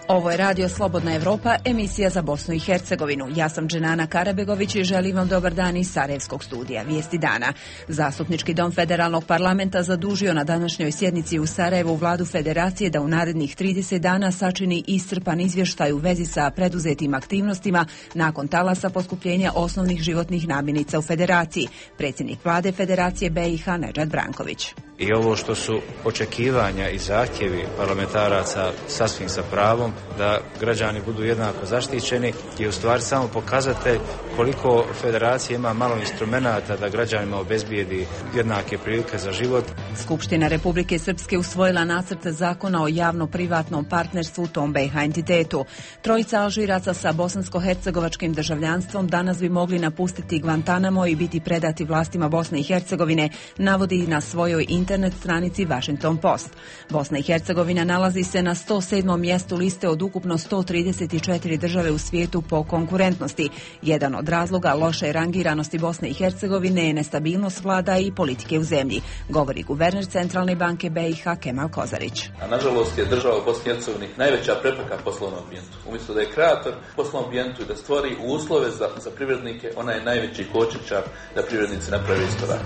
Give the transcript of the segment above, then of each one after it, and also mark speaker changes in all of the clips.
Speaker 1: Ovo je Radio Slobodna Evropa, emisija za Bosnu i Hercegovinu. Ja sam Dženana Karabegović i želim vam dobar dan iz Sarajevskog studija. Vijesti dana. Zastupnički dom Federalnog parlamenta zadužio na današnjoj sjednici u Sarajevu vladu Federacije da u narednih 30 dana sačini iscrpan izvještaj u vezi sa preduzetim aktivnostima nakon talasa poskupljenja osnovnih životnih namirnica u Federaciji. Predsjednik vlade Federacije BiH Nedžad Branković.
Speaker 2: I ovo što su očekivanja i zahtjevi parlamentaraca sasvim sa pravom da građani budu jednako zaštićeni je u stvari samo pokazatelj koliko Federacija ima malo instrumenata da građanima obezbijedi jednake prilike za život.
Speaker 1: Skupština Republike Srpske usvojila nacrt zakona o javno-privatnom partnerstvu u tom BiH entitetu. Trojica Alžiraca sa bosansko-hercegovačkim državljanstvom danas bi mogli napustiti Guantanamo i biti predati vlastima Bosne i Hercegovine, navodi na svojoj internet stranici Washington Post. Bosna i Hercegovina nalazi se na 107. mjestu liste od ukupno 134 države u svijetu po konkurentnosti. Jedan od razloga loše rangiranosti Bosne i Hercegovine je nestabilnost vlada i politike u zemlji, govori guverner Centralne banke BiH Kemal Kozarić.
Speaker 3: A nažalost je država u Bosni i Hercegovini najveća prepreka poslovnom ambijentu. Umjesto da je kreator poslovnom ambijentu i da stvori uslove za privrednike, ona je najveći kočničar da privrednici naprave iskorak.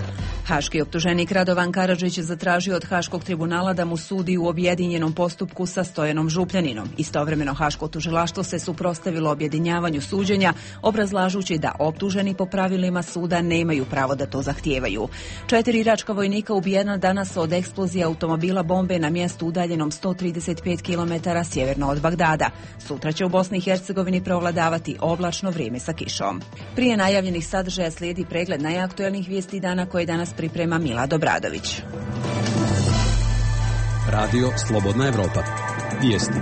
Speaker 1: Haški optuženik Radovan Karadžić zatražio od Haškog tribunala da mu sudi u objedinjenom postupku sa Stojanom Župljaninom. Istovremeno Haško tužilaštvo se suprotstavilo objedinjavanju suđenja, obrazlažući da optuženi po pravilima suda nemaju pravo da to zahtijevaju. 4 iračka vojnika ubijena danas od eksplozije automobila bombe na mjestu udaljenom 135 km sjeverno od Bagdada. Sutra će u Bosni i Hercegovini prevladavati oblačno vrijeme sa kišom. Prije najavljenih sadržaja slijedi pregled najaktuelnijih vijesti dana koje danas priprema Mila Dobradović.
Speaker 4: Radio Slobodna Evropa. Vijesti.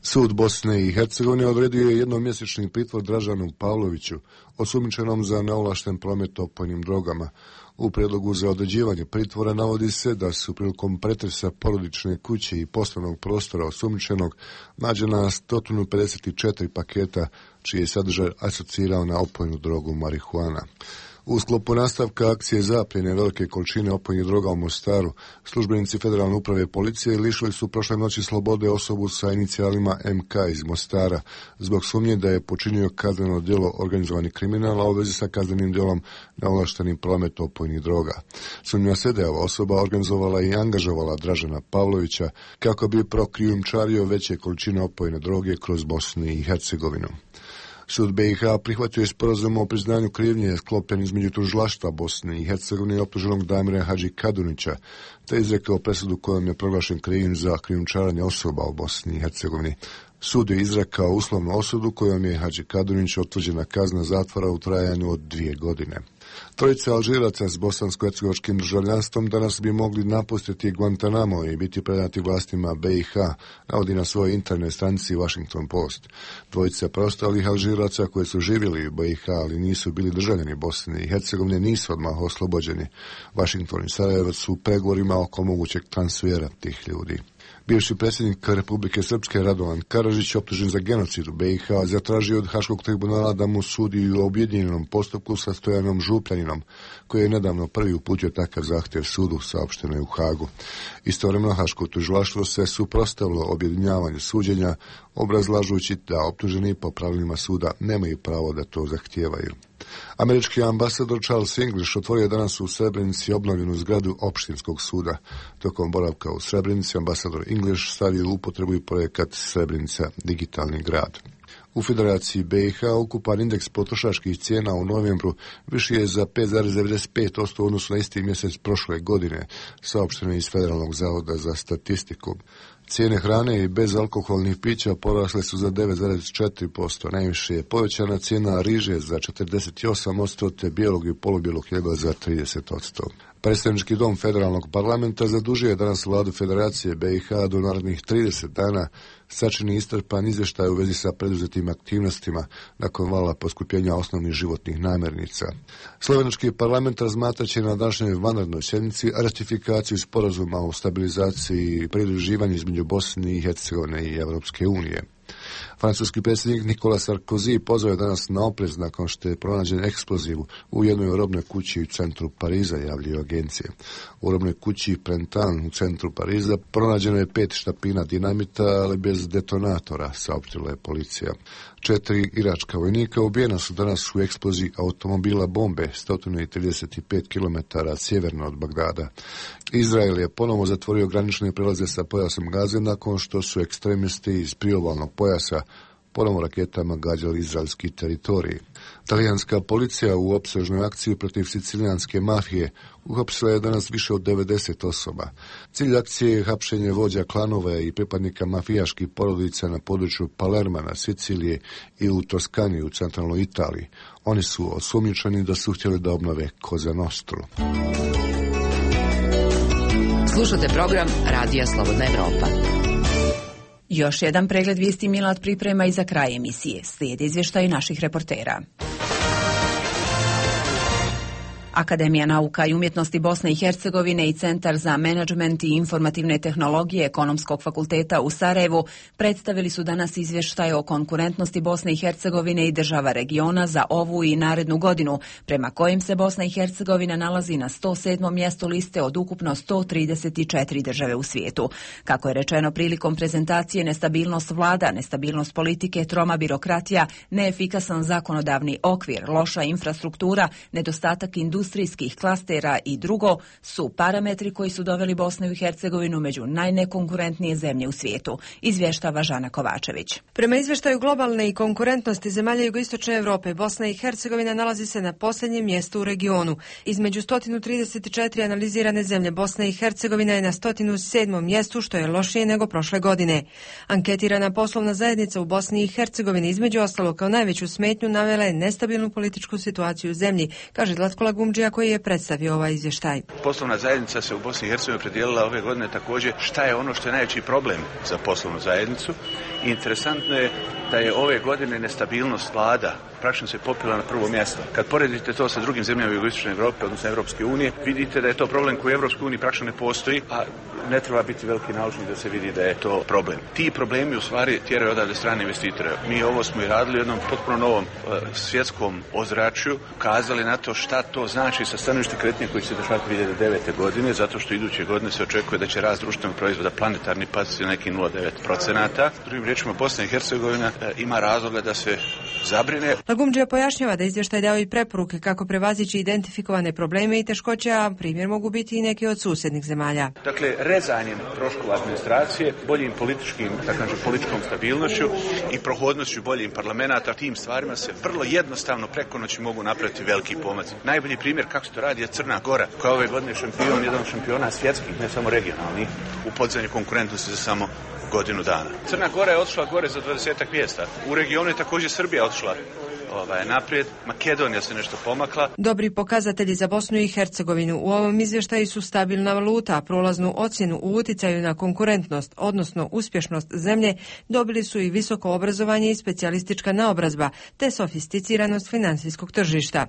Speaker 5: Sud Bosne i Hercegovine odredio je jednomjesečni pritvor Dražanu Pavloviću, osumnjičenom za neovlašten promet opojnim drogama. U prijedlogu za određivanje pritvora navodi se da su prilikom pretresa porodične kuće i poslovnog prostora osumnjičenog nađena 154 paketa čiji je sadržaj asocirao na opojnu drogu marihuana. U sklopu nastavka akcije zapljene velike količine opojnih droga u Mostaru, službenici Federalne uprave policije lišili su prošle noći slobode osobu sa inicijalima MK iz Mostara zbog sumnje da je počinio kazneno djelo organizovani kriminal, a u vezi sa kaznenim djelom neovlaštenim promet opojnih droga. Sumnja se da je ova osoba organizovala i angažovala Dražana Pavlovića kako bi prokrijumčario veće količine opojne droge kroz Bosnu i Hercegovinu. Sud BiH prihvatio je sporazum o priznanju krivnje sklopljen između tužilaštva Bosne i Hercegovine i optuženog Damira Hadži Kadunića, te izrekao presudu kojom je proglašen krivim za krijumčarenje osoba u Bosni i Hercegovini. Sud je izrekao uslovnu osudu kojom je Hadži Kadunić utvrđena kazna zatvora u trajanju od 2 godine. Trojica Alžiraca s bosansko-hercegovačkim državljanstvom danas bi mogli napustiti Guantanamo i biti predati vlastima BiH, navodi na svojoj internet stranici Washington Post. Dvojica preostalih Alžiraca koji su živjeli u BiH, ali nisu bili državljani Bosne i Hercegovine, nisu odmah oslobođeni. Washington i Sarajevo su u pregovorima oko mogućeg transfera tih ljudi. Bivši predsjednik Republike Srpske Radovan Karadžić, optužen za genocid u BiH, zatražio od Haškog tribunala da mu sudi u objedinjenom postupku sa Stojanom Župljaninom, koji je nedavno prvi uputio takav zahtjev sudu, saopšteno je u Hagu. Istovremeno Haško tužilaštvo se suprotstavilo objedinjavanju suđenja, obrazlažući da optuženi po pravilima suda nemaju pravo da to zahtijevaju. Američki ambasador Charles English otvorio danas u Srebrenici obnovljenu zgradu opštinskog suda. Tokom boravka u Srebrenici ambasador English stavio u upotrebu i projekat Srebrenica digitalni grad. U Federaciji BiH ukupan indeks potrošačkih cijena u novembru viši je za 5,95% u odnosu na isti mjesec prošle godine, saopšteno iz Federalnog zavoda za statistiku. Cijene hrane i bezalkoholnih pića porasle su za 9,4%, najviše je povećana cijena riže za 48%, te bijelog i polubijelog hljeba za 30%. Predstavnički dom Federalnog parlamenta zadužio je danas vladu Federacije BiH do narednih 30 dana sačini iscrpan izvještaj u vezi sa preduzetim aktivnostima nakon vala poskupljenja osnovnih životnih namirnica. Slovenački parlament razmatraće na današnjoj vanrednoj sjednici ratifikaciju sporazuma o stabilizaciji i pridruživanju između Bosne i Hercegovine i Europske unije. Francuski predsjednik Nicolas Sarkozy pozvao je danas na oprez nakon što je pronađen eksploziv u jednoj robnoj kući u centru Pariza, javljaju agencije. U robnoj kući Printemps u centru Pariza pronađeno je 5 štapina dinamita, ali bez detonatora, saopštila je policija. 4 iračka vojnika ubijena su danas u eksploziji automobila bombe 135 km sjeverno od Bagdada. Izrael je ponovo zatvorio granične prelaze sa pojasom Gaze nakon što su ekstremisti iz priobalnog pojasa ponovo raketama gađali izraelski teritorij. Talijanska policija u opsežnoj akciji protiv sicilijanske mafije uhapsila je danas više od 90 osoba. Cilj akcije je hapšenje vođa klanova i pripadnika mafijaških porodica na području Palerma na Sicilije i u Toskani u centralnoj Italiji. Oni su osumnjičeni da su htjeli da obnove Cosa Nostru.
Speaker 6: Slušate program Radija Slobodna Evropa.
Speaker 1: Još jedan pregled vijesti Milad priprema i za kraj emisije. Slijedi izvještaj naših reportera. Akademija nauka i umjetnosti Bosne i Hercegovine i Centar za menadžment i informativne tehnologije Ekonomskog fakulteta u Sarajevu predstavili su danas izvještaj o konkurentnosti Bosne i Hercegovine i država regiona za ovu i narednu godinu, prema kojim se Bosna i Hercegovina nalazi na 107. mjestu liste od ukupno 134 države u svijetu. Kako je rečeno prilikom prezentacije, nestabilnost vlada, nestabilnost politike, troma birokratija, neefikasan zakonodavni okvir, loša infrastruktura, nedostatak industrijskih klastera i drugo su parametri koji su doveli Bosnu i Hercegovinu među najnekonkurentnije zemlje u svijetu, izvještava Žana Kovačević.
Speaker 7: Prema izvještaju globalne i konkurentnosti zemalja jugoistočne Europe, Bosna i Hercegovina nalazi se na posljednjem mjestu u regionu. Između 134 analizirane zemlje, Bosna i Hercegovina je na 107. mjestu, što je lošije nego prošle godine. Anketirana poslovna zajednica u Bosni i Hercegovini između ostalo kao najveću smetnju navela je nestabilnu političku situaciju u zemlji, kaže Zlatko Lagumdžija koji je predstavio ovaj izvještaj.
Speaker 8: Poslovna zajednica se u Bosni i Hercegovini opredijelila ove godine također šta je ono što je najveći problem za poslovnu zajednicu. I interesantno je da je ove godine nestabilnost vlada praktično se popila na prvo mjesto. Kad poredite to sa drugim zemljama jugoistočne Europe, odnosno Europske unije, vidite da je to problem koji u Europskoj uniji praktično ne postoji, a ne treba biti veliki naučnik da se vidi da je to problem. Ti problemi u stvari tjeraju odavde strane investitore. Mi ovo smo i radili u jednom potpuno novom svjetskom ozračju, ukazali na to šta to znači sa stanovišta kretnje koji će se dešavati 2009. godine, zato što iduće godine se očekuje da će rast društvenog proizvoda planetarni pasti na neki 0,9%. Drugim riječima, Bosna i Hercegovina ima razloga da se zabrine.
Speaker 7: Lagumdžija pojašnjava da izvještaj dao i preporuke kako prevazići identifikovane probleme i teškoće, a primjer mogu biti i neki od susjednih zemalja.
Speaker 8: Dakle, rezanjem troškova administracije, boljim političkom stabilnošću i prohodnošću boljim parlamenta, tim stvarima se vrlo jednostavno preko noći mogu napraviti veliki pomaci. Najbolji primjer kako se to radi je Crna Gora, koja ove godine šampion, jedan šampiona svjetskih, ne samo regionalnih, u podizanju konkurentnosti za samo godinu dana. Crna Gora je otišla gore za 20 mjesta. U regionu je također Srbija otišla naprijed, Makedonija se nešto pomakla.
Speaker 7: Dobri pokazatelji za Bosnu i Hercegovinu u ovom izvještaju su stabilna valuta, prolaznu ocjenu u utjecaju na konkurentnost, odnosno uspješnost zemlje, dobili su i visoko obrazovanje i specijalistička naobrazba, te sofisticiranost financijskog tržišta.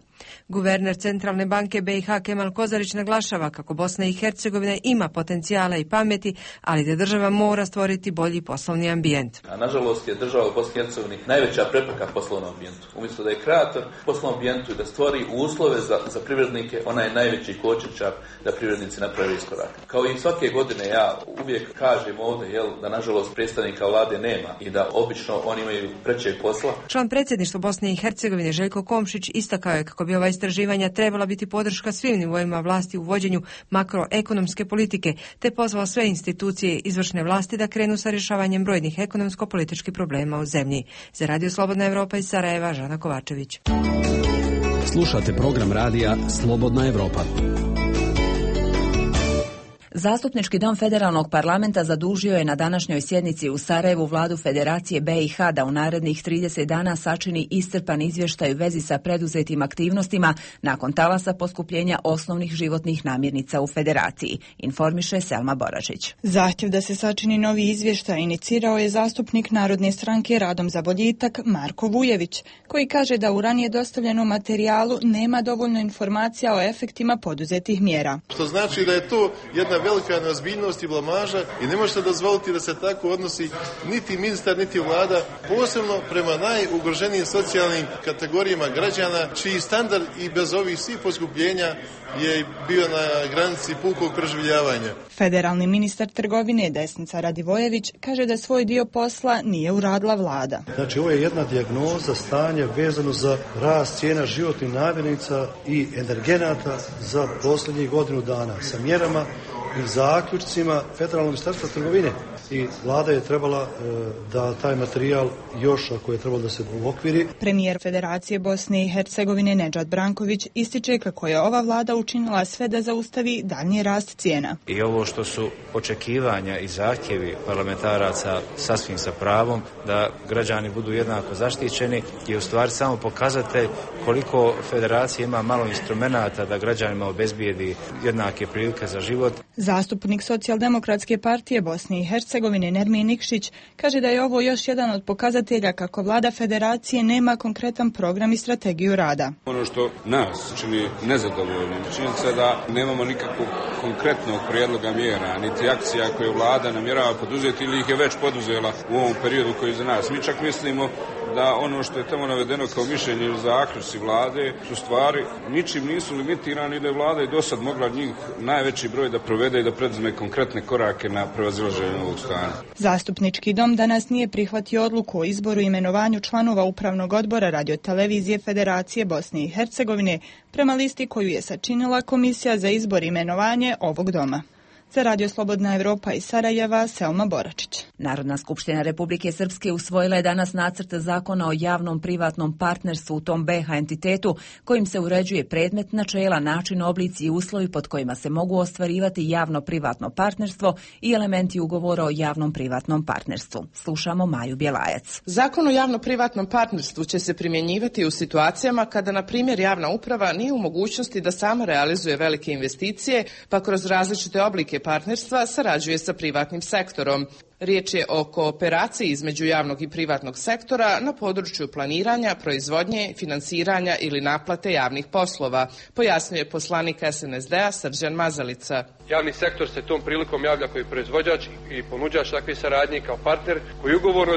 Speaker 7: Guverner Centralne banke BiH Kemal Kozarić naglašava kako Bosna i Hercegovina ima potencijala i pameti, ali da država mora stvoriti bolji poslovni ambijent.
Speaker 3: A nažalost je država u Bosni i Hercegovini najveća prepreka poslovnom ambijentu. Umjesto da je kreator poslovnom ambijentu i da stvori uslove za privrednike, ona je najveći kočničar da privrednici naprave iskorak. Kao i svake godine ja uvijek kažem ovdje da nažalost predstavnika vlade nema i da obično oni imaju prećeg posla.
Speaker 7: Član predsjedništva Bosne i Hercegovine Željko Komšić istakao je kako bi ova istraživanja trebala biti podrška svim nivoima vlasti u vođenju makroekonomske politike, te pozvao sve institucije izvršne vlasti da krenu sa rješavanjem brojnih ekonomsko-političkih problema u zemlji. Za Radio Slobodna Evropa iz Sarajeva, Žana Kovačević.
Speaker 4: Slušate program radija Slobodna Evropa.
Speaker 1: Zastupnički dom Federalnog parlamenta zadužio je na današnjoj sjednici u Sarajevu vladu Federacije BiH da u narednih 30 dana sačini iscrpan izvještaj u vezi sa preduzetim aktivnostima nakon talasa poskupljenja osnovnih životnih namirnica u Federaciji, informiše Selma Boražić.
Speaker 9: Zahtjev da se sačini novi izvještaj inicirao je zastupnik Narodne stranke Radom za boljitak Marko Vujević, koji kaže da u ranije dostavljenom materijalu nema dovoljno informacija o efektima poduzetih mjera.
Speaker 10: Što znači da je to jedna velika neozbiljnost i blamaža i ne možete dozvoliti da se tako odnosi niti ministar, niti vlada, posebno prema najugroženijim socijalnim kategorijama građana, čiji standard i bez ovih svih poskupljenja je bio na granici pukog preživljavanja.
Speaker 9: Federalni ministar trgovine Desnica Radivojević kaže da svoj dio posla nije uradila vlada.
Speaker 11: Znači, ovo je jedna dijagnoza stanja vezano za rast cijena životnih namirnica i energenata za posljednjih godinu dana sa mjerama i zaključcima Federalnog ministarstva trgovine. I vlada je trebala da taj materijal još, ako je trebalo da se uokviri.
Speaker 9: Premijer Federacije Bosne i Hercegovine Nedžad Branković ističe kako je ova vlada učinila sve da zaustavi daljnji rast cijena.
Speaker 2: I ovo što su očekivanja i zahtjevi parlamentaraca sasvim sa pravom da građani budu jednako zaštićeni je u stvari samo pokazatelj koliko Federacija ima malo instrumenata da građanima obezbijedi jednake prilike za život.
Speaker 9: Zastupnik Socijaldemokratske partije Bosne i Hercegovine Nermin Nikšić kaže da je ovo još jedan od pokazatelja kako vlada Federacije nema konkretan program i strategiju rada.
Speaker 12: Ono što nas čini nezadovoljnim, činjenica da nemamo nikakvog konkretnog prijedloga mjera, niti akcija koje vlada namjerava poduzeti ili ih je već poduzela u ovom periodu koji je za nas. Mi čak mislimo da ono što je tamo navedeno kao mišljenje ili zaključci vlade su stvari ničim nisu limitirani, da je vlada i dosad mogla njih najveći broj da provede i da preduzme konkretne korake na prevazilaženje ovog stanja.
Speaker 9: Zastupnički dom danas nije prihvatio odluku o izboru i imenovanju članova Upravnog odbora Radio-televizije Federacije Bosne i Hercegovine prema listi koju je sačinila Komisija za izbor i imenovanje ovog doma. Za Radio Slobodna Evropa iz Sarajeva, Selma Boračić.
Speaker 1: Narodna skupština Republike Srpske usvojila je danas nacrt zakona o javnom privatnom partnerstvu u tom BiH entitetu kojim se uređuje predmet, načela, način, oblici i uslovi pod kojima se mogu ostvarivati javno privatno partnerstvo i elementi ugovora o javnom privatnom partnerstvu. Slušamo Maju Bjelajac.
Speaker 13: Zakon o javno privatnom partnerstvu će se primjenjivati u situacijama kada, na primjer, javna uprava nije u mogućnosti da sama realizuje velike investicije, pa kroz različite oblike partnerstva sarađuje sa privatnim sektorom. Riječ je o kooperaciji između javnog i privatnog sektora na području planiranja, proizvodnje, finansiranja ili naplate javnih poslova, pojasnjuje poslanik SNSD-a Srđan Mazalica.
Speaker 14: Javni sektor se tom prilikom javlja kao proizvođač i ponuđač takve saradnje kao partner koji ugovorno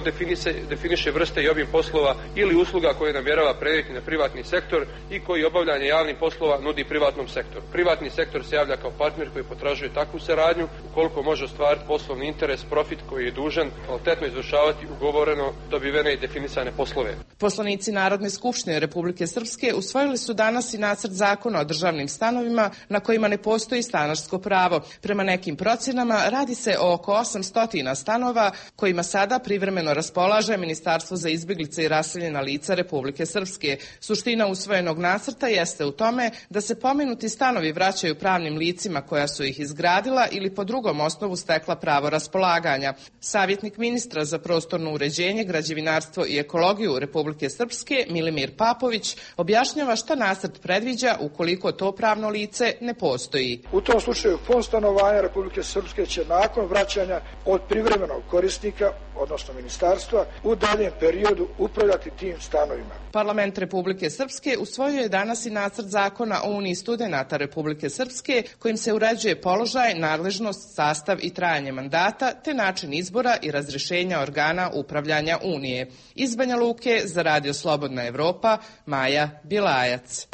Speaker 14: definiše vrste i obim poslova ili usluga koje namjerava prenijeti na privatni sektor i koji obavljanje javnih poslova nudi privatnom sektoru. Privatni sektor se javlja kao partner koji potražuje takvu saradnju ukoliko može ostvariti poslovni interes, profit koji je dužan kvalitetno izvršavati ugovoreno dobivene i definisane poslove.
Speaker 13: Poslanici Narodne skupštine Republike Srpske usvojili su danas i nacrt zakona o državnim stanovima na kojima ne postoji stanarsko pravo. Prema nekim procjenama radi se o oko 800 stanova kojima sada privremeno raspolaže Ministarstvo za izbjeglice i raseljena lica Republike Srpske. Suština usvojenog nacrta jeste u tome da se pomenuti stanovi vraćaju pravnim licima koja su ih izgradila ili po drugom osnovu stekla pravo raspolaganja. Savjetnik ministra za prostorno uređenje, građevinarstvo i ekologiju Republike Srpske, Milimir Papović, objašnjava šta nacrt predviđa ukoliko to pravno lice ne postoji.
Speaker 15: U tom slučaju Fond stanovanja Republike Srpske će nakon vraćanja od privremenog korisnika, odnosno ministarstva, u daljem periodu upravljati tim stanovima.
Speaker 13: Parlament Republike Srpske usvojio je danas i nacrt zakona o Uniji studenata Republike Srpske kojim se uređuje položaj, nadležnost, sastav i trajanje mandata te način izbora i razrješenja organa upravljanja Unije. Iz Banja Luke za Radio Slobodna Evropa, Maja Bjelajac.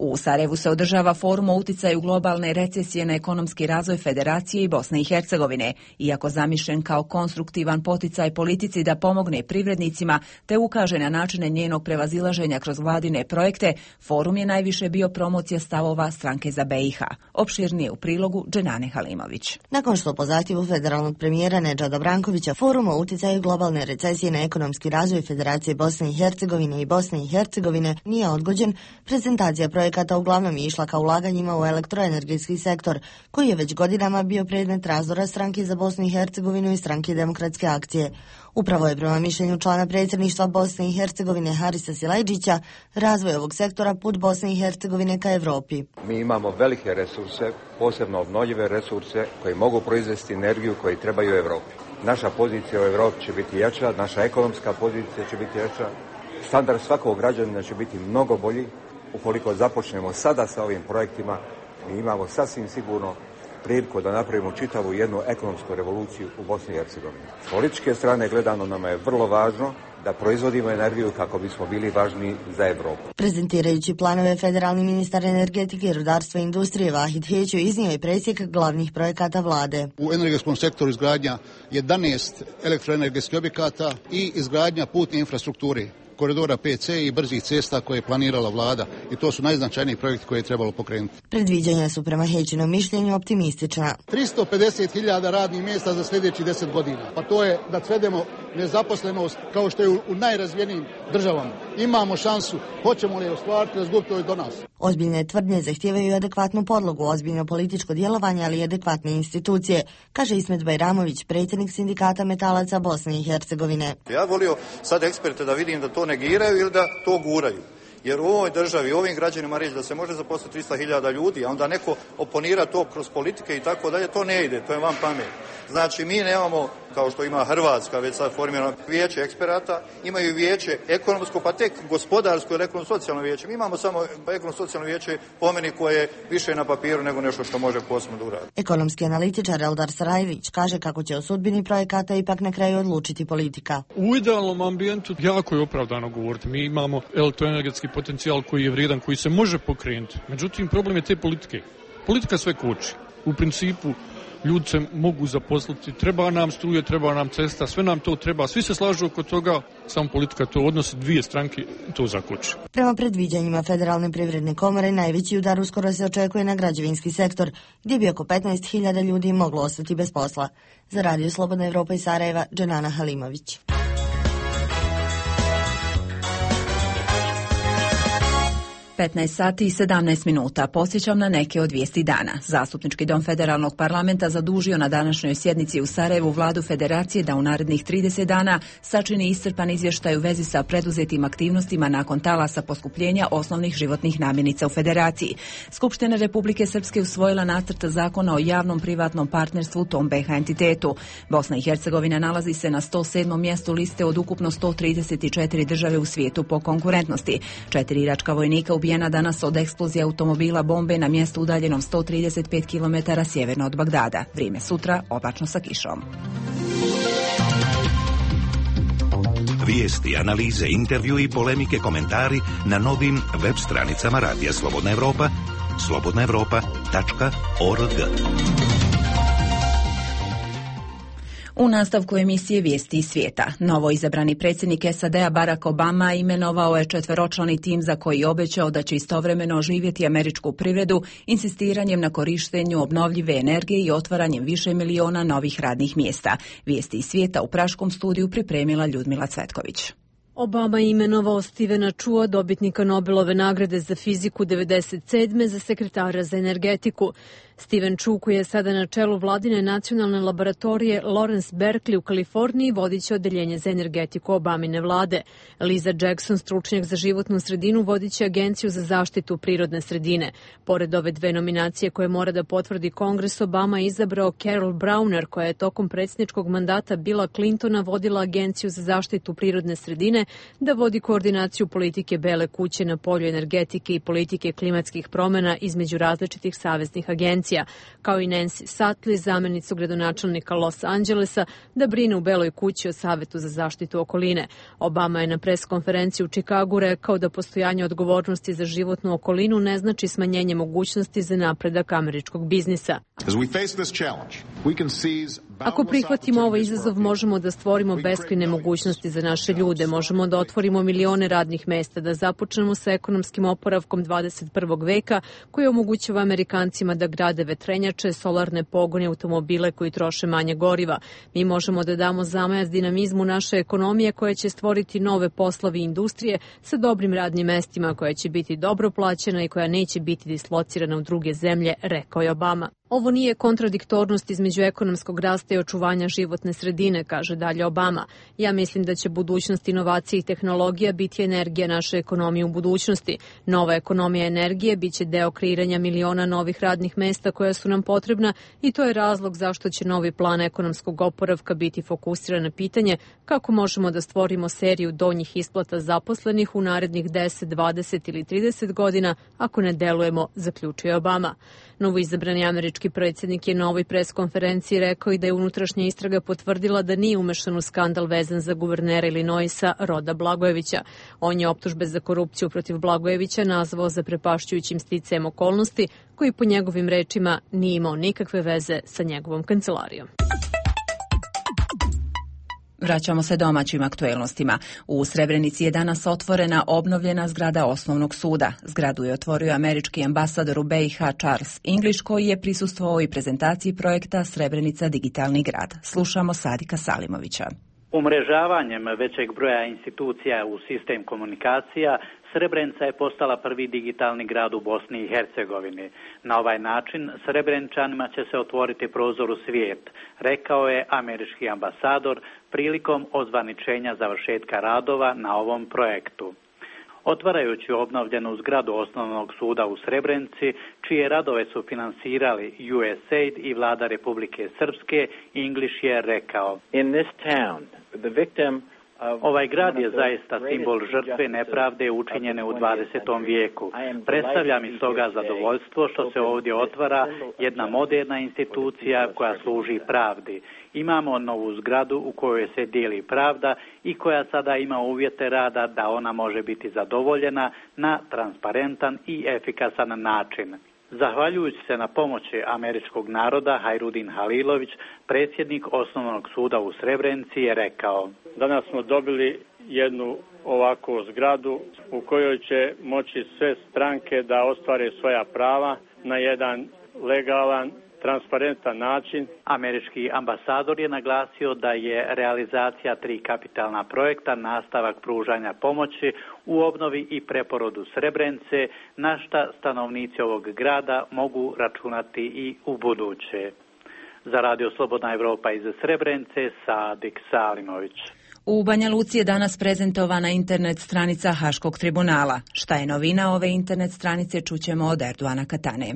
Speaker 1: U Sarajevu se održava forum o uticaju globalne recesije na ekonomski razvoj Federacije i Bosne i Hercegovine. Iako zamišljen kao konstruktivan poticaj politici da pomogne privrednicima te ukaže na načine njenog prevazilaženja kroz vladine projekte, forum je najviše bio promocija stavova Stranke za BiH. Opširnije u prilogu Dženane Halimović.
Speaker 16: Nakon što po zahtjevu federalnog premijera Nedžada Brankovića forum o uticaju globalne recesije na ekonomski razvoj Federacije Bosne i Hercegovine i Bosne i Hercegovine nije odgođen, prezentacija projekata uglavnom je išla ka ulaganjima u elektroenergetski sektor, koji je već godinama bio predmet razdora Stranke za Bosnu i Hercegovinu i Stranke demokratske akcije. Upravo je prema mišljenju člana predsjedništva Bosne i Hercegovine Harisa Silajđića razvoj ovog sektora put Bosne i Hercegovine ka Evropi.
Speaker 17: Mi imamo velike resurse, posebno obnovljive resurse koji mogu proizvesti energiju koji trebaju Evropi. Naša pozicija u Evropi će biti jača, naša ekonomska pozicija će biti jača Standard svakog građanina će biti mnogo bolji ukoliko započnemo sada sa ovim projektima. Mi imamo sasvim sigurno priliku da napravimo čitavu jednu ekonomsku revoluciju u Bosni i Hercegovini. S političke strane gledano nama je vrlo važno da proizvodimo energiju kako bismo bili važni za Evropu.
Speaker 16: Prezentirajući planove, federalni ministar energetike, rudarstva i industrije Vahid Heću iznio je presjek glavnih projekata vlade.
Speaker 18: U energetskom sektoru izgradnja 11 elektroenergetskih objekata i izgradnja putne infrastrukture, koridora PC i brzih cesta koje je planirala vlada. I to su najznačajniji projekti koje je trebalo pokrenuti.
Speaker 16: Predviđanja su prema Hećinom mišljenju optimistična.
Speaker 18: 350.000 radnih mjesta za sljedećih 10 godina. Pa to je da svedemo nezaposlenost kao što je u najrazvijenijim državama. Imamo šansu, hoćemo li je ostvariti, razgubiti je do nas.
Speaker 16: Ozbiljne tvrdnje zahtijevaju adekvatnu podlogu, ozbiljno političko djelovanje, ali i adekvatne institucije, kaže Ismet Bajramović, predsjednik sindikata metalaca Bosne i Hercegovine.
Speaker 19: Ja volio sad eksperte da vidim da to negiraju ili da to guraju. Jer u ovoj državi, ovim građanima reći da se može zaposliti 300.000 ljudi, a onda neko oponira to kroz politike i tako dalje, to ne ide, to je van pamet. Znači, mi nemamo, kao što ima Hrvatska, već sad formirano vijeće eksperata, imaju vijeće ekonomsko, pa tek gospodarsko ili ekonomsko-socijalno vijeće. Mi imamo samo ekonomsko-socijalno vijeće po meni koje je više na papiru nego nešto što može posebno da uradi.
Speaker 16: Ekonomski analitičar Eldar Sarajević kaže kako će o sudbini projekata ipak na kraju odlučiti politika.
Speaker 20: U idealnom ambijentu jako je opravdano govoriti. Mi imamo elektroenergetski potencijal koji je vrijedan, koji se može pokrenuti. Međutim, problem je te politike. Politika sve koči. U principu, ljudi se mogu zaposliti, treba nam struje, treba nam cesta, sve nam to treba, svi se slažu oko toga, samo politika to odnosi, dvije stranke to zakoči.
Speaker 16: Prema predviđanjima Federalne privredne komore, najveći udar uskoro se očekuje na građevinski sektor, gdje bi oko 15.000 ljudi moglo ostati bez posla. Za Radio Slobodna Evropa iz Sarajeva, Dženana Halimović.
Speaker 1: 15 sati i 17 minuta. Podsjećam na neke od vijesti dana. Zastupnički dom Federalnog parlamenta zadužio na današnjoj sjednici u Sarajevu vladu Federacije da u narednih 30 dana sačini iscrpan izvještaj u vezi sa preduzetim aktivnostima nakon talasa poskupljenja osnovnih životnih namirnica u Federaciji. Skupština Republike Srpske usvojila nacrt zakona o javnom privatnom partnerstvu u tom BiH entitetu. Bosna i Hercegovina nalazi se na 107. mjestu liste od ukupno 134 države u svijetu po konkurentnosti. 4 iračka vojnika ubijena danas od eksplozije automobila bombe na mjestu udaljenom 135 km sjeverno od Bagdada. Vrijeme sutra oblačno sa kišom.
Speaker 21: Vijesti, analize, intervju i polemike, komentari na novim web stranicama Radija Slobodna Evropa, slobodnaevropa.org.
Speaker 1: U nastavku emisije Vijesti iz svijeta, novo izabrani predsjednik SAD-a Barack Obama imenovao je 4-člani tim za koji obećao da će istovremeno oživjeti američku privredu insistiranjem na korištenju obnovljive energije i otvaranjem više miliona novih radnih mjesta. Vijesti iz svijeta u praškom studiju pripremila Ljudmila Cvetković.
Speaker 22: Obama je imenovao Stevena Chua, dobitnika Nobelove nagrade za fiziku 1997. za sekretara za energetiku. Steven Chu, koji je sada na čelu vladine nacionalne laboratorije Lawrence Berkeley u Kaliforniji, vodit će odeljenje za energetiku Obamine vlade. Liza Jackson, stručnjak za životnu sredinu, vodit će agenciju za zaštitu prirodne sredine. Pored ove dve nominacije koje mora da potvrdi Kongres, Obama je izabrao Carol Browner, koja je tokom predsjedničkog mandata Billa Clintona vodila agenciju za zaštitu prirodne sredine, da vodi koordinaciju politike Bele kuće na polju energetike i politike klimatskih promjena između različitih saveznih agencija, kao i Nancy Sutley, zamjenicu gradonačelnika Los Angelesa, da brine u Beloj kući o Savetu za zaštitu okoline. Obama je na pres konferenciji u Čikagu rekao da postojanje odgovornosti za životnu okolinu ne znači smanjenje mogućnosti za napredak američkog biznisa. Ako prihvatimo ovaj izazov, možemo da stvorimo beskrajne mogućnosti za naše ljude, možemo da otvorimo milione radnih mesta, da započnemo sa ekonomskim oporavkom 21. veka koji omogućava Amerikancima da grade vetrenjače, solarne pogone, automobile koji troše manje goriva. Mi možemo da damo zamajac dinamizmu naše ekonomije koja će stvoriti nove poslovi i industrije sa dobrim radnim mestima, koja će biti dobro plaćena i koja neće biti dislocirana u druge zemlje, rekao je Obama. Ovo nije kontradiktornost između ekonomskog rasta i očuvanja životne sredine, kaže dalje Obama. Ja mislim da će budućnost inovacije i tehnologija biti energija naše ekonomije u budućnosti. Nova ekonomija energije biće deo kreiranja miliona novih radnih mesta koja su nam potrebna i to je razlog zašto će novi plan ekonomskog oporavka biti fokusiran na pitanje kako možemo da stvorimo seriju donjih isplata zaposlenih u narednih 10, 20 ili 30 godina ako ne delujemo, zaključuje Obama. Novoizabrani američki predsjednik je na ovoj preskonferenciji rekao i da je unutrašnja istraga potvrdila da nije umešan u skandal vezan za guvernera Illinoisa Roda Blagojevića. On je optužbe za korupciju protiv Blagojevića nazvao zaprepašćujućim sticajem okolnosti koji po njegovim rečima nije imao nikakve veze sa njegovom kancelarijom.
Speaker 1: Vraćamo se domaćim aktuelnostima. U Srebrenici je danas otvorena obnovljena zgrada osnovnog suda. Zgradu je otvorio američki ambasador u BiH Charles English, koji je prisustvovao i prezentaciji projekta Srebrenica digitalni grad. Slušamo Sadika Salimovića.
Speaker 5: Umrežavanjem većeg broja institucija u sistem komunikacija, Srebrenica je postala prvi digitalni grad u Bosni i Hercegovini. Na ovaj način Srebreničanima će se otvoriti prozor u svijet, rekao je američki ambasador prilikom ozvaničenja završetka radova na ovom projektu. Otvarajući obnovljenu zgradu osnovnog suda u Srebrenici, čije radove su finansirali USAID i vlada Republike Srpske, English je rekao: Ovaj grad je zaista simbol žrtve nepravde učinjene u 20. vijeku. Predstavlja mi stoga zadovoljstvo što se ovdje otvara jedna moderna institucija koja služi pravdi. Imamo novu zgradu u kojoj se dijeli pravda i koja sada ima uvjete rada da ona može biti zadovoljena na transparentan i efikasan način. Zahvaljujući se na pomoći američkog naroda, Hajrudin Halilović, predsjednik osnovnog suda u Srebrenici, je rekao:
Speaker 6: Danas smo dobili jednu ovakvu zgradu u kojoj će moći sve stranke da ostvare svoja prava na jedan legalan, transparentan način.
Speaker 5: Američki ambasador je naglasio da je realizacija 3 kapitalna projekta nastavak pružanja pomoći u obnovi i preporodu Srebrenice, na šta stanovnici ovog grada mogu računati i u buduće. Za Radio Slobodna Evropa iz Srebrenice, Sadik Salimović.
Speaker 1: U Banja Luci je danas prezentovana internet stranica Haškog tribunala. Šta je novina ove internet stranice, čućemo od Erdoana Katane.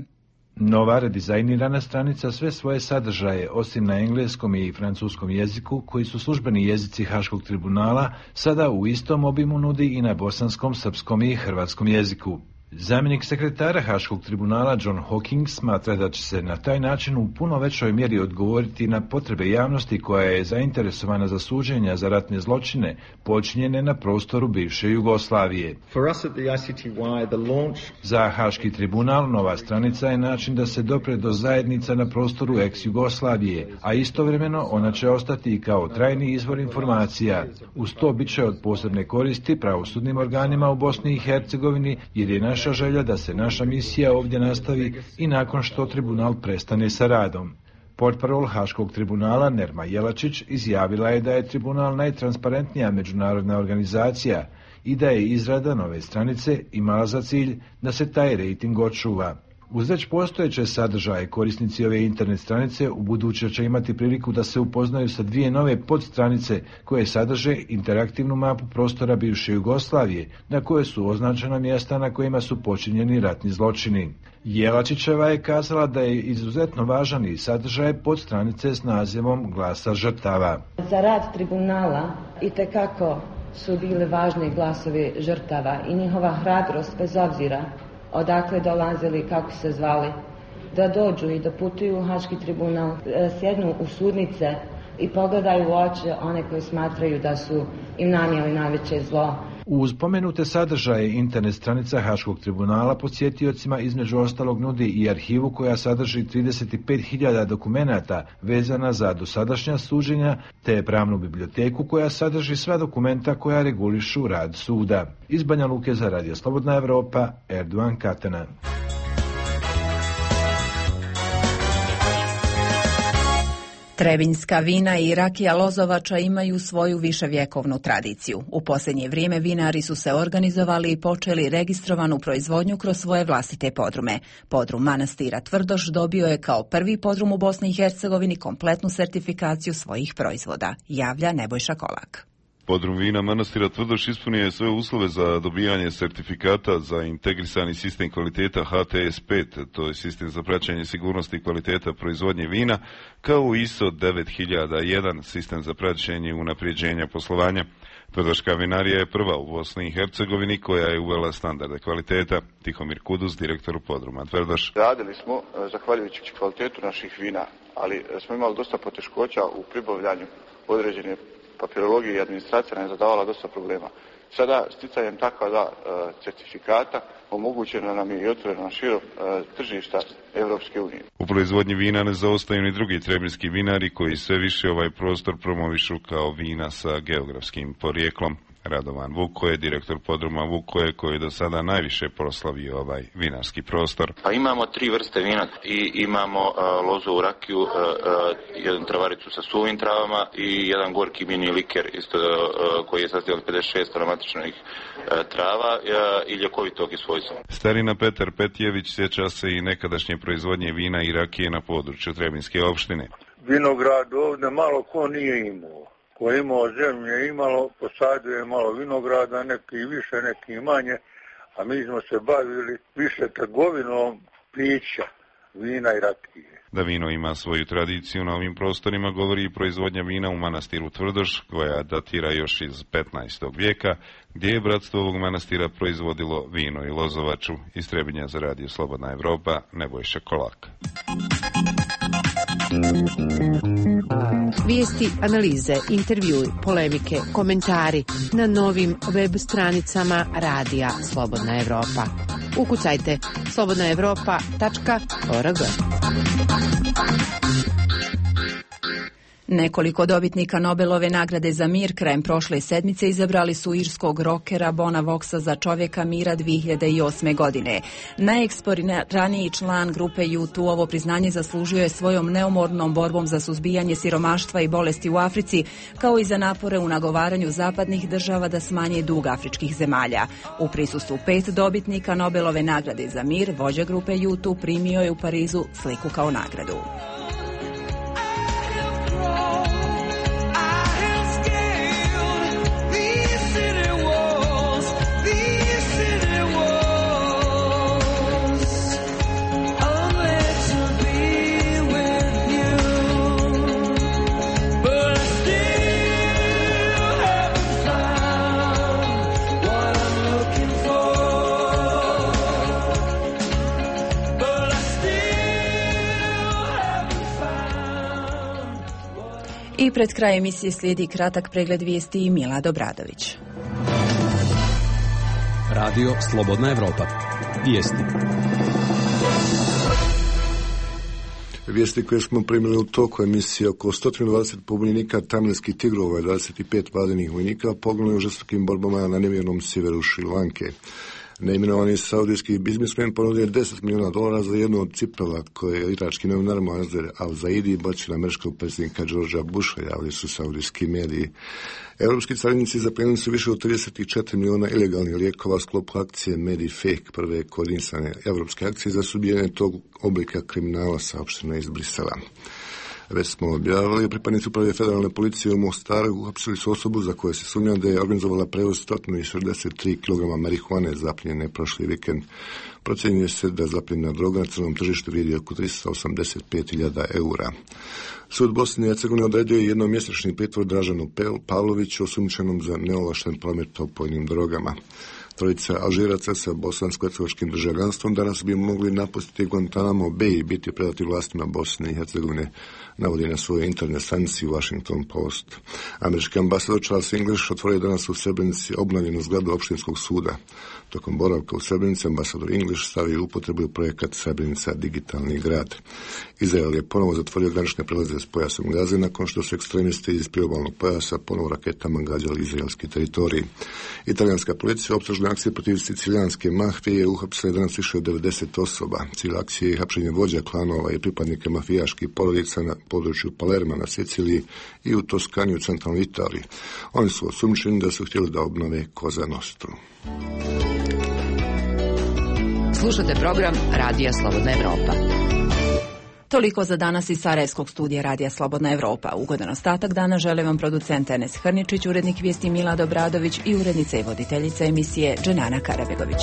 Speaker 23: Nova redizajnirana stranica sve svoje sadržaje, osim na engleskom i francuskom jeziku, koji su službeni jezici Haškog tribunala, sada u istom obimu nudi i na bosanskom, srpskom i hrvatskom jeziku. Zamjenik sekretara Haškog tribunala John Hawking smatra da će se na taj način u puno većoj mjeri odgovoriti na potrebe javnosti koja je zainteresovana za suđenja za ratne zločine počinjene na prostoru bivše Jugoslavije. Za Haški tribunal nova stranica je način da se dopre do zajednica na prostoru ex-Jugoslavije, a istovremeno ona će ostati i kao trajni izvor informacija. Uz to bit će od posebne koristi pravosudnim organima u Bosni i Hercegovini, jer je naša želja da se naša misija ovdje nastavi i nakon što tribunal prestane sa radom. Portparol Haškog tribunala Nerma Jelačić izjavila je da je tribunal najtransparentnija međunarodna organizacija i da je izrada nove stranice imala za cilj da se taj rejting očuva. Uz već postojeće sadržaje, korisnici ove internet stranice u buduće će imati priliku da se upoznaju sa 2 nove podstranice koje sadrže interaktivnu mapu prostora bivše Jugoslavije, na koje su označena mjesta na kojima su počinjeni ratni zločini. Jelačićeva je kazala da je izuzetno važan i sadržaj podstranice s nazivom Glasa žrtava.
Speaker 24: Za rad tribunala itekako su bili važni glasovi žrtava i njihova hrabrost, bez obzira odakle dolazili, kako se zvali, da dođu i da putuju u Haški tribunal, sjednu u sudnice i pogledaju u oči one koji smatraju da su im nanijeli najveće zlo.
Speaker 23: Uz pomenute sadržaje internet stranica Haškog tribunala posjetiocima između ostalog nudi i arhivu koja sadrži 35.000 dokumenata vezana za dosadašnja suđenja, te pravnu biblioteku koja sadrži sva dokumenta koja regulišu rad suda. Iz Banja Luke za Radio Slobodna Evropa, Erdoan Katana.
Speaker 1: Trebinjska vina i rakija Lozovača imaju svoju viševjekovnu tradiciju. U posljednje vrijeme vinari su se organizovali i počeli registrovanu proizvodnju kroz svoje vlastite podrume. Podrum manastira Tvrdoš dobio je kao prvi podrum u Bosni i Hercegovini kompletnu sertifikaciju svojih proizvoda, javlja Nebojša Kolak.
Speaker 3: Podrum vina manastira Tvrdoš ispunio je sve uslove za dobijanje sertifikata za integrisani sistem kvaliteta HTS5, to je sistem za praćenje sigurnosti i kvaliteta proizvodnje vina, kao ISO 9001, sistem za praćenje i unapređenja poslovanja. Tvrdoška vinarija je prva u Bosni i Hercegovini koja je uvela standarde kvaliteta. Tihomir Kudus, direktor podruma Tvrdoš.
Speaker 4: Radili smo, zahvaljujući kvalitetu naših vina, ali smo imali dosta poteškoća u pribavljanju određene papirologija i administracija nam je zadavala dosta problema. Sada, sticanjem takva certifikata, omogućeno nam je i otvoreno na širo tržišta Evropske unije.
Speaker 3: U proizvodnji vina ne zaostaju ni drugi trebinjski vinari koji sve više ovaj prostor promovišu kao vina sa geografskim porijeklom. Radovan Vukoje, direktor podruma Vukoje, koji do sada najviše proslavio ovaj vinarski prostor.
Speaker 7: Pa imamo 3 vrste vina i imamo lozovu rakiju, jednu travaricu sa suvim travama i jedan gorki mini liker isto, koji je sastavljen od 56 aromatičnih trava i ljekovitog svojstva.
Speaker 3: Starina Petar Petjević sjeća se i nekadašnje proizvodnje vina i rakije na području Trebinjske opštine.
Speaker 8: Vinograd ovdje malo ko nije imao. Ko je imao zemlje imalo, posadio je malo vinograda, neki više, neki manje, a mi smo se bavili više trgovinom pića, vina i rakije.
Speaker 3: Da vino ima svoju tradiciju na ovim prostorima govori i proizvodnja vina u manastiru Tvrdoš, koja datira još iz 15. vijeka, gdje je bratstvo ovog manastira proizvodilo vino i lozovaču. Iz Trebinja za radio Slobodna Evropa, Nebojša Kolak.
Speaker 25: Vijesti, analize, intervjui, polemike, komentari na novim web stranicama radija Slobodna Evropa. Ukucajte slobodnaevropa.org.
Speaker 1: Nekoliko dobitnika Nobelove nagrade za mir krajem prošle sedmice izabrali su irskog rokera Bona Voxa za čovjeka mira 2008. godine. Najeksponiraniji član grupe U2 ovo priznanje zaslužio je svojom neumornom borbom za suzbijanje siromaštva i bolesti u Africi, kao i za napore u nagovaranju zapadnih država da smanje dug afričkih zemalja. U prisustvu 5 dobitnika Nobelove nagrade za mir, vođa grupe U2 primio je u Parizu sliku kao nagradu. I pred kraj emisije slijedi kratak pregled vijesti i Mila Dobradović.
Speaker 26: Radio Slobodna Evropa. Vijesti.
Speaker 27: Vijesti koje smo primili u toku emisije: oko 120 pobunjenika tamilskih tigrova i 25 vladinih vojnika poginuli u žestokim borbama na nevjernom sjeveru Šrilanke. Neimenovani saudijski biznismen ponudio $10 milijuna za jednu od cipela koje je irački novinar Moazzer Al-Zaidi bacio na američkog predsjednika Georgea Busha, javili su saudijski mediji. Europski carinici zaplijenili su više od 34 milijuna ilegalnih lijekova u sklopu akcije Medifake, prve koordinisane europske akcije za suzbijanje tog oblika kriminala, saopšteno iz Brisela. Već smo objavili, pripadnici uprave federalne policije u Mostaru uhapsili su osobu za koju se sumnja da je organizovala prevoz 163 kg marihuane zaplijenjene prošli vikend. Procjenjuje se da zapljena droga na crnom tržištu vrijedi oko 385.000 eura. Sud Bosne i Hercegovine odredio je jednomjesečni pritvor Dražanu Pavloviću, osumnjičenom za neovlašten promet opojnim drogama. Trojica Alžiraca sa bosansko-hercegovačkim državljanstvom danas bi mogli napustiti Guantanamo Bay i biti predati vlastima Bosne i Hercegovine, navodi na svojoj internet stranici Washington Post. Američki ambasador Charles English otvorio danas u Srebrenici obnovljenu zgradu opštinskog suda. Tokom boravka u Srebrenici ambasador English stavio u upotrebu projekat Srebrenica digitalni grad. Izrael je ponovo zatvorio granične prelaze s pojasom Gaze nakon što su ekstremisti iz priobalnog pojasa ponovo raketama gađali izraelski teritorij. Italijanska policija optužila oružne akcije protiv sicilijanske mafije uhapsilo je danas više od 90 osoba. Cilj akcije je hapšenje vođa klanova i pripadnika mafijaških porodica na području Palerma na Siciliji i u Toskani u centralnoj Italiji. Oni su osumnjičeni da su htjeli da obnove Cosa Nostru.
Speaker 2: Slušate program Radija Slobodna Evropa.
Speaker 1: Toliko za danas iz Sarajevskog studija Radija Slobodna Evropa. Ugodan ostatak dana žele vam producent Enes Hrničić, urednik vijesti Milad Obradović i urednica i voditeljica emisije Dženana Karabegović.